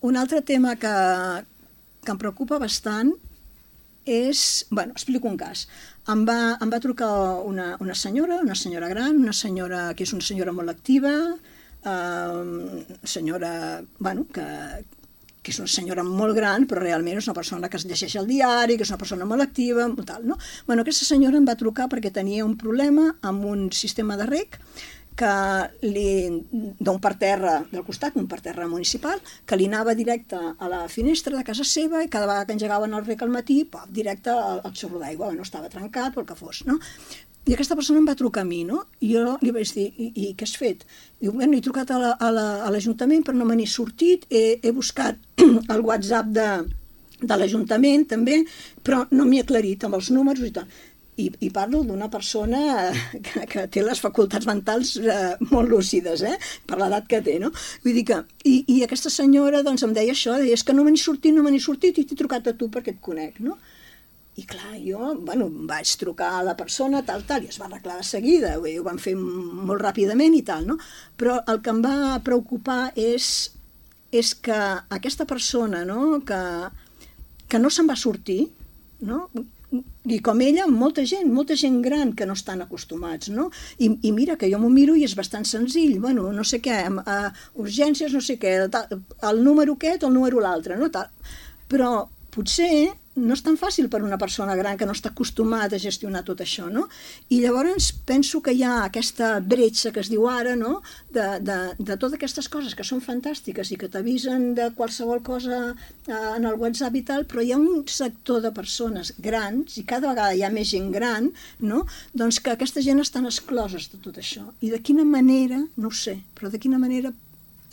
Un altre tema que em preocupa bastant és... Bueno, explico un cas. Em va trucar una senyora gran, una senyora que és una senyora molt activa, senyora, bueno, que és una senyora molt gran, però realment és una persona que es llegeix el diari, que és una persona molt activa, tal, no? Bueno, aquesta senyora em va trucar perquè tenia un problema amb un sistema de reg d'un parterre del costat, un parterre municipal, que li anava directe a la finestra de casa seva i cada vegada que engegaven el reg al matí, directe al xorro d'aigua, no estava trencat o el que fos, no? I aquesta persona em va trucar a mi, no? I jo li vaig dir, i què has fet? Diu, bueno, he trucat a l'Ajuntament però no me n'he sortit, he buscat el WhatsApp de l'Ajuntament també, però no m'he aclarit amb els números i tal. I parlo d'una persona que té les facultats mentals molt lúcides, per l'edat que té, no? Vull dir que... I aquesta senyora doncs, em deia això, és que no me n'he sortit i t'he trucat a tu perquè et conec, no? I clar, jo, bueno, vaig trucar a la persona, tal, i es va arreglar de seguida, ho van fer molt ràpidament i tal, no? Però el que em va preocupar és que aquesta persona, no?, que no se'n va sortir, no?, i com ella, molta gent gran que no estan acostumats, no? I mira, que jo m'ho miro i és bastant senzill, bueno, no sé què, urgències, no sé què, el número aquest o el número l'altre, no? Però potser no és tan fàcil per una persona gran que no està acostumada a gestionar tot això, no? I llavors penso que hi ha aquesta bretxa que es diu ara, no?, de totes aquestes coses que són fantàstiques i que t'avisen de qualsevol cosa en el WhatsApp i tal, però hi ha un sector de persones grans, i cada vegada hi ha més gent gran, no?, doncs que aquesta gent estan excloses de tot això. I de quina manera, no ho sé, però de quina manera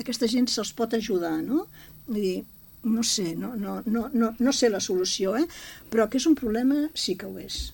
aquesta gent se'ls pot ajudar, no? Vull dir, no sé, no sé la solució, però que és un problema sí que ho és,